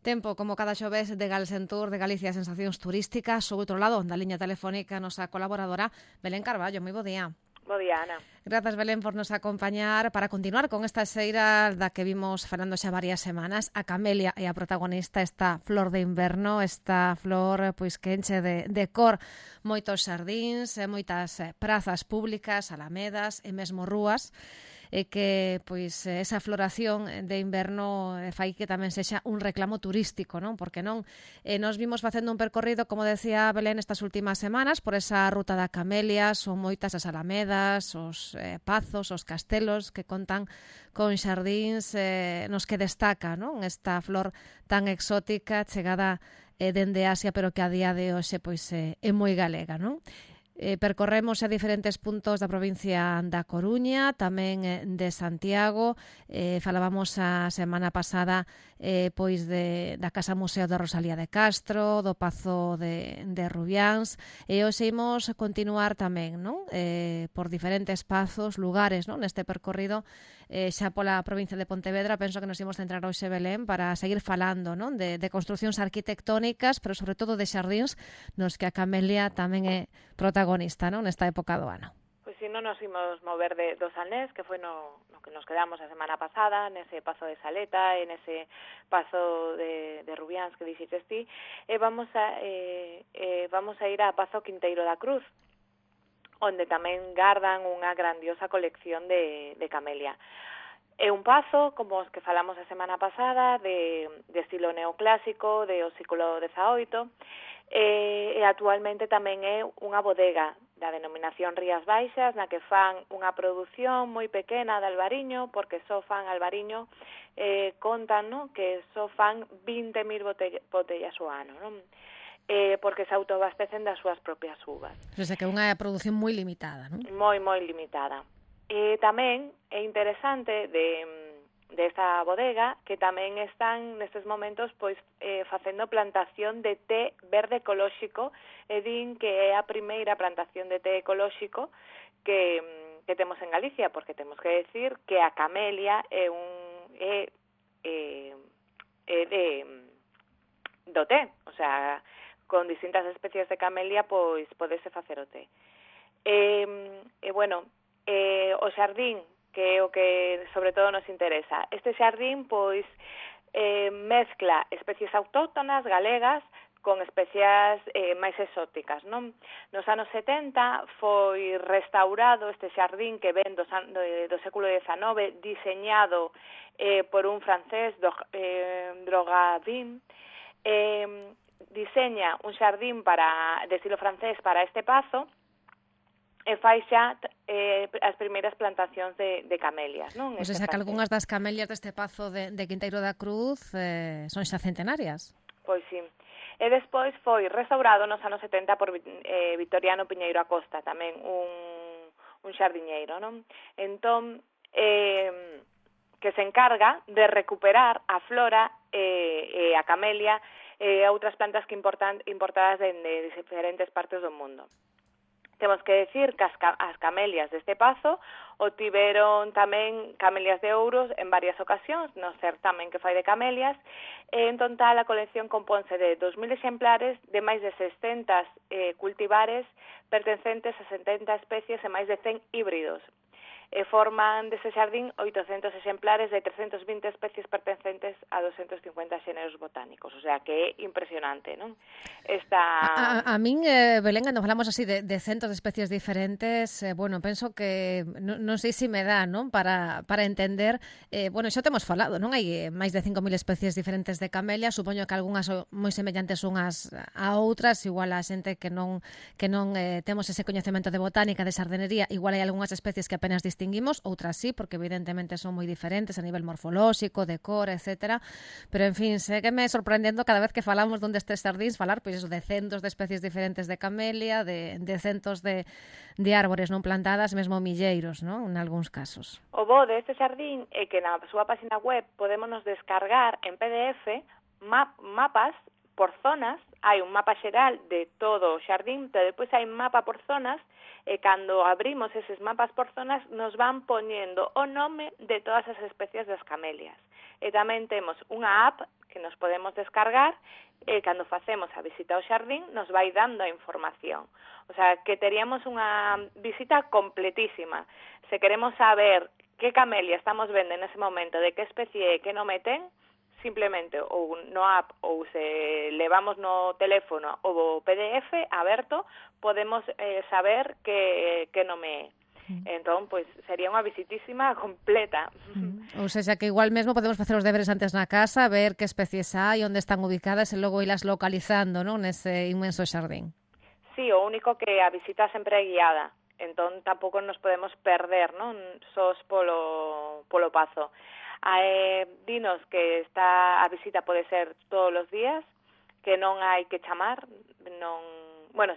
Tempo, como cada xoves, de Galsen Tour, de Galicia Sensacións Turísticas. O outro lado, da liña telefónica, nosa colaboradora Belén Carballo. Moi bo día. Bo día, Ana. Grazas, Belén, por nos acompañar para continuar con esta xeira da que vimos falando xa varias semanas. A camelia é a protagonista, esta flor de inverno, esta flor pois que enche de cor moitos xardíns, moitas prazas públicas, alamedas e mesmo rúas, e que pois esa floración de inverno fai que tamén sexa un reclamo turístico, non? Porque non nos vimos facendo un percorrido, como decía Belén, estas últimas semanas por esa ruta da camelia. Son moitas as alamedas, os pazos, os castelos que contan con xardíns nos que destaca, non? Esta flor tan exótica chegada dende Asia, pero que a día de hoxe pois é moi galega, non? Percorremos a diferentes puntos da provincia da Coruña, tamén de Santiago. Falábamos a semana pasada pois da Casa Museo de Rosalía de Castro, do Pazo de Rubiáns, e hoxe imos continuar tamén, non? Por diferentes pazos, lugares, non? Neste percorrido xa pola provincia de Pontevedra. Penso que nos imos centrar hoxe, Belén, para seguir falando, non? De construcións arquitectónicas, pero sobre todo de xardíns nos que a camelia tamén é protagonista, non? Nesta época do ano. Pois si non nos imos mover do Salnés, que foi no que nos quedamos a semana pasada, nese Pazo de Saleta, e nese Pazo de Rubiáns que dixetes ti, e vamos a ir a Pazo Quinteiro da Cruz, onde tamén gardan unha grandiosa colección de camelia. É un pazo, como os que falamos a semana pasada, de estilo neoclásico, do século XVIII, e actualmente tamén é unha bodega da denominación Rías Baixas, na que fan unha produción moi pequena de albariño, porque só fan albariño, contan, non, que só fan 20.000 botellas ao ano, non? Porque se autoabastecen das súas propias uvas. O sea, que é unha produción moi limitada, non? Moi limitada. E tamén é interesante desta bodega que tamén están nestes momentos pois facendo plantación de té verde ecolóxico, e din que é a primeira plantación de té ecolóxico que temos en Galicia, porque temos que decir que a camelia é do té, o sea, con distintas especies de camelia pois podese facer o té. O xardín, que é o que sobre todo nos interesa. Este xardín pois mezcla especies autóctonas galegas con especies máis exóticas, non? Nos anos 70 foi restaurado este xardín que ven do século XIX, diseñado por un francés, Drogadin. Diseña un xardín de estilo francés para este pazo, e fai xa as primeiras plantacións de camelias, non? Pois que algunhas das camelias deste pazo de Quinteiro da Cruz son xa centenarias. Pois sí. E despois foi restaurado nos anos 70 por Victoriano Piñeiro Acosta, tamén un xardiñeiro, non? Entón, que se encarga de recuperar a flora e a camelia e outras plantas que importadas de diferentes partes do mundo. Temos que decir que as camelias deste pazo obtiveron tamén camelias de ouros en varias ocasións, no certamen que fai de camelias, e en total a colección compónse de 2.000 exemplares de máis de 600 cultivares pertencentes a 70 especies e máis de 100 híbridos. Forman dese xardín 800 exemplares de 320 especies pertencentes a 250 xéneros botánicos, o sea que é impresionante, non? A min, Belén, cando falamos así de centos de especies diferentes, penso que non sei se me dá, non, para entender, xa temos falado, non? Hai máis de 5.000 especies diferentes de camelia, supoño que algunhas son moi semellantes unhas a outras, igual a xente que non temos ese coñecemento de botánica, de xardinería, igual hai algunhas especies que apenas distinguimos, outras sí, porque evidentemente son moi diferentes a nivel morfolóxico, de cor, etcétera, pero en fin, sé que me sorprendendo cada vez que falamos dun destes xardíns falar pois eso, de centos de especies diferentes de camelia, de centos de árbores non plantadas, mesmo milleiros, non? En algúns casos. O bo deste xardín é que na súa página web podémonos descargar en PDF mapas por zonas. Hai un mapa xeral de todo o xardín, pero depois hai mapa por zonas, e cando abrimos eses mapas por zonas nos van poñendo o nome de todas as especies das camelias. E tamén temos unha app que nos podemos descargar e cando facemos a visita ao xardín nos vai dando a información. O sea, que teríamos unha visita completísima. Se queremos saber que camelia estamos vendo nese momento, de que especie e que nome ten, simplemente ou no app ou se levamos no teléfono o PDF aberto, podemos saber que nome é. Entón, pois, sería unha visitísima completa. Ou seja, que igual mesmo podemos facer os deberes antes na casa, ver que especies hai, onde están ubicadas e logo ilas localizando, non, nese inmenso xardín. Sí, o único que a visita sempre é guiada, entón tampouco nos podemos perder, non, sós polo pazo. Dinos que a visita pode ser todos os días, que non hai que chamar,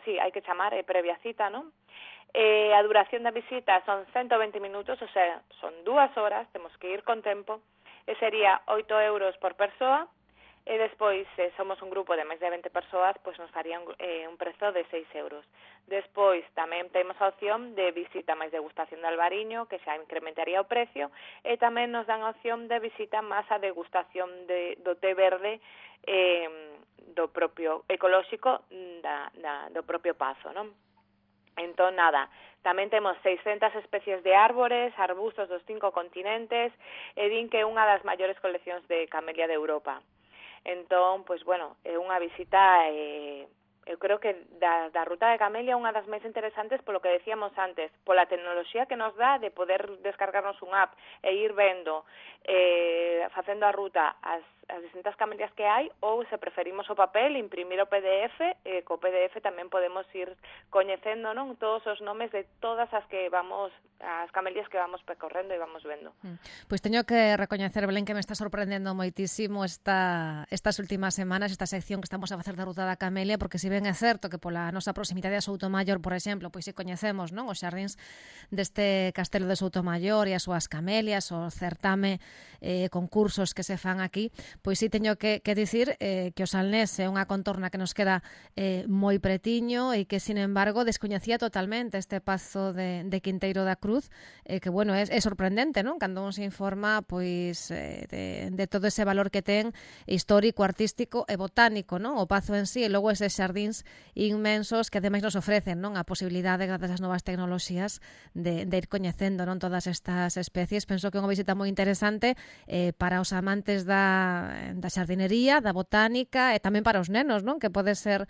sí, hai que chamar, é previa cita, non? A duración da visita son 120 minutos, o sea, son 2 horas, temos que ir con tempo, e sería 8 euros por persoa, e despois, se somos un grupo de máis de 20 persoas, pois nos faría un prezo de 6 euros. Despois, tamén temos a opción de visita máis degustación de albariño, que xa incrementaría o precio, e tamén nos dan a opción de visita máis a degustación do té verde do propio ecolóxico do propio pazo, non? Entón, nada, tamén temos 600 especies de árbores, arbustos dos 5 continentes, e din que é unha das maiores coleccións de camelia de Europa. Entón, pois, bueno, é unha visita, eu creo que da ruta de camelia é unha das máis interesantes polo que decíamos antes, pola tecnoloxía que nos dá de poder descargarnos un app e ir vendo, facendo a ruta as distintas camelias que hai, ou se preferimos o papel, imprimir o PDF, co PDF tamén podemos ir coñecendo, non, todos os nomes de todas as camelias que vamos percorrendo e vamos vendo. Pois teño que recoñecer, Belén, que me está sorprendendo moitísimo estas últimas semanas, esta sección que estamos a facer da ruta da camelia, porque se ben é certo que pola nosa proximidade a Soutomaior, por exemplo, pois se coñecemos, non, os xardíns deste castelo de Soutomaior e as súas camelias, o certame, concursos que se fan aquí, pois si teño que dicir que o Salnés é unha contorna que nos queda moi pretiño e que, sin embargo, descoñecía totalmente este pazo de Quinteiro da Cruz, que, bueno, é sorprendente, non? Cando un se informa, pois, de todo ese valor que ten histórico, artístico e botánico, non? O pazo en sí, e logo eses xardíns inmensos que ademais nos ofrecen, non? A posibilidade, grazas ás novas tecnoloxías, de ir coñecendo, non, todas estas especies. Penso que é unha visita moi interesante para os amantes da xardinería, da botánica e tamén para os nenos, non? Que pode ser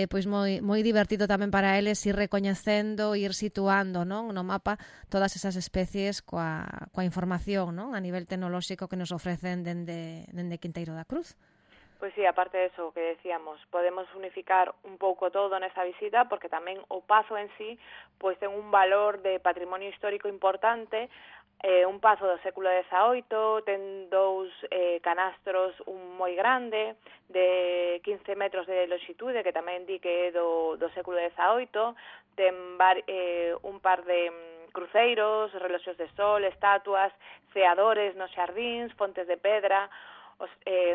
pois moi divertido tamén para eles ir recoñecendo, ir situando, non, no mapa todas esas especies coa información, non, a nivel tecnolóxico que nos ofrecen dende Quinteiro da Cruz. Pois sí, aparte de eso que decíamos, podemos unificar un pouco todo nesa visita, porque tamén o pazo en sí pois ten un valor de patrimonio histórico importante, un pazo do século XVIII, ten 2 canastros, un moi grande, de 15 metros de longitude, que tamén di que é do século XVIII, ten un par de cruceiros, reloxos de sol, estatuas, ceadores nos xardíns, fontes de pedra,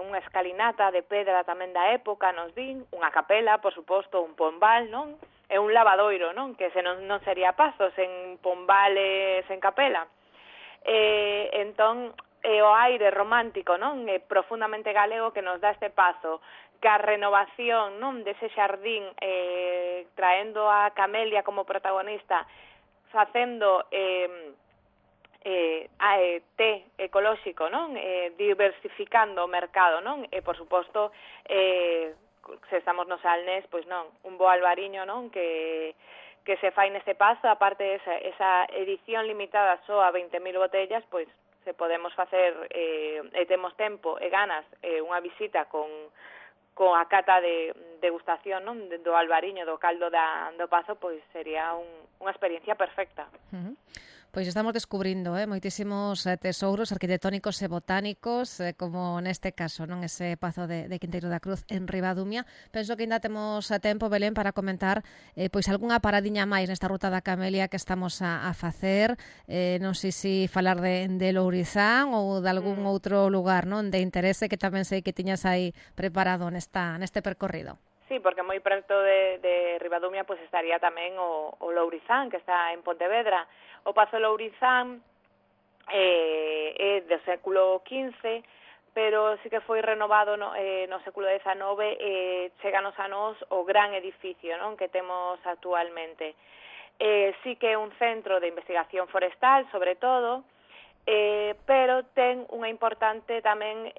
unha escalinata de pedra tamén da época, nos din, unha capela, por suposto, un pombal, non? E un lavadoiro, non? Que non sería pazo sen pombal e sen capela. Entón, o aire romántico, non? Profundamente galego que nos dá este pazo, que a renovación, non, dese xardín, traendo a camelia como protagonista, facendo té ecolóxico, non? Diversificando o mercado, non? E, por suposto, se estamos no Salnés, pois non, un bo albariño, non? Que se fai neste pazo, aparte esa edición limitada só a 20.000 botellas, pois se podemos facer e temos tempo e ganas unha visita con a cata de degustación, non, do albariño, do caldo do pazo, pois sería unha experiencia perfecta. Pois estamos descubrindo moitísimos tesouros arquitectónicos e botánicos, como neste caso, non, ese pazo de Quinteiro da Cruz en Ribadumia. Penso que ainda temos tempo, Belén, para comentar pois algunha paradiña máis nesta ruta da camelia que estamos a facer. Non sei se falar de Lourizán ou de algún outro lugar, non, de interese que tamén sei que tiñas aí preparado neste percorrido. Sí, porque moi preto de Ribadumia pois estaría tamén o Lourizán, que está en Pontevedra. O Pazo Lourizán é do século XV, pero sí que foi renovado no século XIX, cheganos a nós o gran edificio, non, que temos actualmente. Sí que é un centro de investigación forestal, sobre todo, pero ten unha importante tamén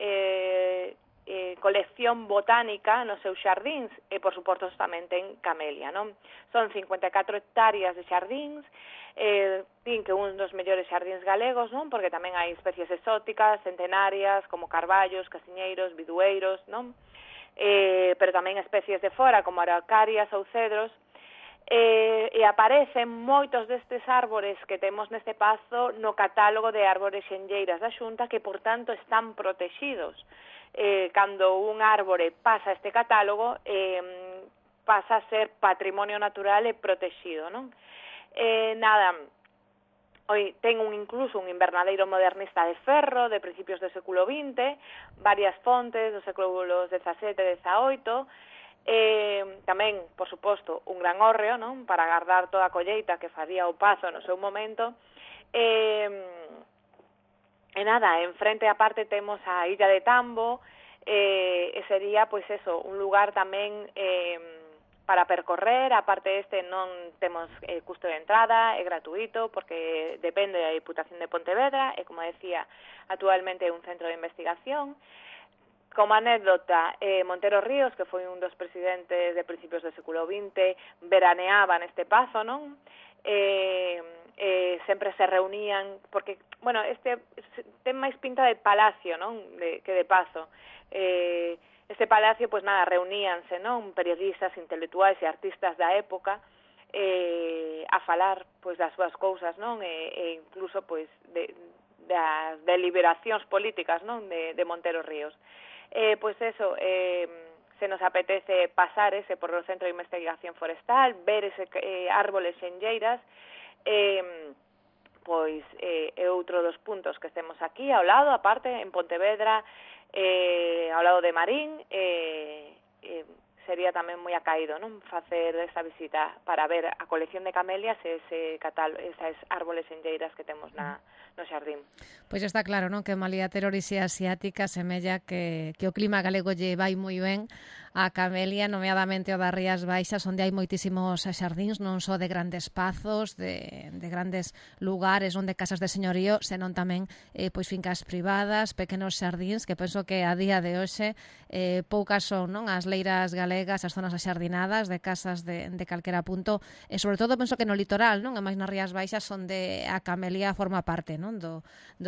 colección botánica nos seus xardíns, e por suposto tamén ten camelia, non? Son 54 hectáreas de xardíns, din que un dos mellores xardíns galegos, non? Porque tamén hai especies exóticas, centenarias, como carballos, casiñeiros, bidueiros, non? Pero tamén especies de fora, como araucarias ou cedros, e aparecen moitos destes árbores que temos neste pazo no catálogo de árbores xenlleiras da Xunta, que, por tanto, están protexidos. Cando un árbore pasa este catálogo, pasa a ser patrimonio natural e protexido, non? Ten incluso un invernadeiro modernista de ferro de principios do século XX, varias fontes dos séculos XVII e XVIII, tamén, por suposto, un gran hórreo, non? Para agardar toda a colleita que faría o pazo no seu momento. En frente a parte temos a Illa de Tambo, e sería, pois eso, un lugar tamén para percorrer. A parte non temos custo de entrada, é gratuito, porque depende da Diputación de Pontevedra, e, como decía, actualmente é un centro de investigación. Como anécdota, Montero Ríos, que foi un dos presidentes de principios do século XX, veraneaba neste pazo, non? Sempre se reunían, porque, bueno, ten máis pinta de palacio, non? Que de pazo. Este palacio, pois nada, reuníanse, non? Periodistas, intelectuais e artistas da época a falar, pois, das súas cousas, non? E incluso, pois, das deliberacións políticas, non? De Montero Ríos. Pois eso, se nos apetece pasar por o Centro de Investigación Forestal, ver árboles xenlleiras, pois é outro dos puntos que estemos aquí ao lado, aparte, en Pontevedra, ao lado de Marín, sería tamén moi acaído, non? Facer esta visita para ver a colección de camelias e esas árboles xenlleiras que temos no xardín. Pois está claro, non? Que malia ter orixe asiática, semella que o clima galego lle vai moi ben a camelia, nomeadamente o das Rías Baixas, onde hai moitísimos xardíns, non só de grandes pazos, de grandes lugares onde casas de señorío, senón tamén pois fincas privadas, pequenos xardíns, que penso que a día de hoxe poucas son, non? As leiras galegas, as zonas axardinadas de casas de calquera punto, e sobre todo penso que no litoral, non? E máis nas Rías Baixas, onde a camelia forma parte, non? Do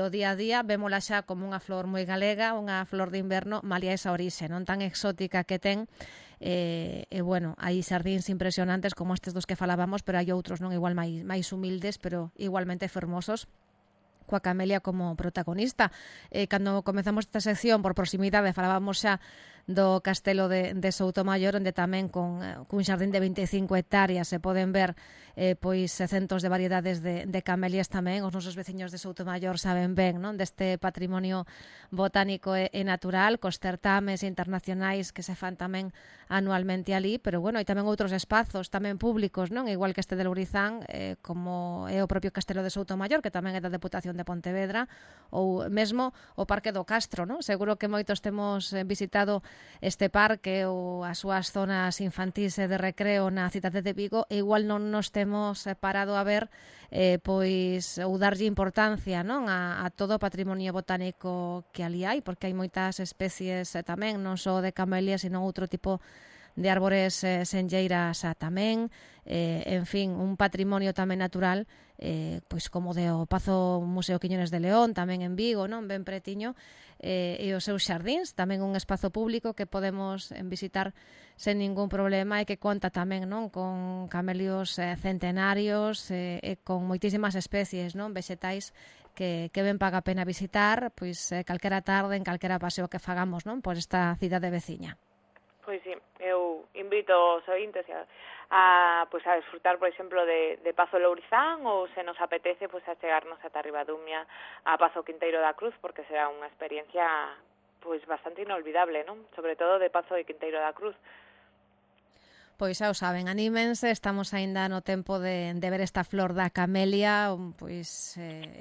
día a día, vémola xa como unha flor moi galega, unha flor de inverno, malia esa orixe, non tan exótica que ten. Bueno, hai xardíns impresionantes como estes dos que falábamos, pero hai outros, non, igual máis humildes, pero igualmente fermosos, coa camelia como protagonista. Cando comezamos esta sección, por proximidade, falábamos xa do castelo de Soutomaior, onde tamén cun xardín de 25 hectáreas se poden ver pois centos de variedades de camelias tamén. Os nosos veciños de Soutomaior saben ben, non, deste patrimonio botánico e natural, cos certames internacionais que se fan tamén anualmente ali, pero bueno, hai tamén outros espazos tamén públicos, non, igual que este de Lourizán, como é o propio castelo de Soutomaior, que tamén é da Deputación de Pontevedra, ou mesmo o Parque do Castro, non? Seguro que moitos temos visitado este parque ou as súas zonas infantís e de recreo na cidade de Vigo, e igual non nos temos parado a ver pois ou darlle importancia, non, a todo o patrimonio botánico que ali hai, porque hai moitas especies tamén, non só de camelias, sino outro tipo de árbores senlleiras tamén, en fin, un patrimonio tamén natural, pois como de o Pazo Museo Quiñones de León, tamén en Vigo, non, ben pretiño, e os seus xardíns, tamén un espazo público que podemos visitar sen ningún problema, e que conta tamén, non, con camelios centenarios e con moitísimas especies, non, vexetais que ben paga a pena visitar, pois calquera tarde, en calquera paseo que fagamos, non, por esta cidade veciña. Pois sí, eu invito os ointes a disfrutar, por exemplo, de Pazo Lourizán, ou se nos apetece, pois a chegarnos ata Ribadumia, a Pazo Quinteiro da Cruz, porque será unha experiencia pois bastante inolvidable, non? Sobre todo de Pazo de Quinteiro da Cruz. Pois xa o saben, anímense, estamos aínda no tempo de ver esta flor da camelia, pois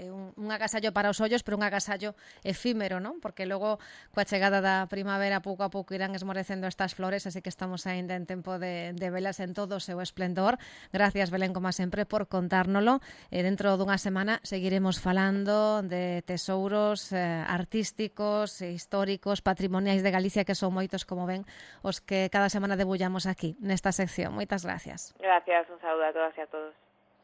un agasallo para os ollos, pero un agasallo efímero, non? Porque logo coa chegada da primavera pouco a pouco irán esmorecendo estas flores, así que estamos aínda en tempo de velas en todo o seu esplendor. Gracias, Belén, como sempre, por contárnolo. Dentro dunha semana seguiremos falando de tesouros artísticos, históricos, patrimoniais de Galicia, que son moitos, como ven, os que cada semana debullamos aquí, nesta sección. Moitas gracias. Gracias, un saúdo a todas e a todos.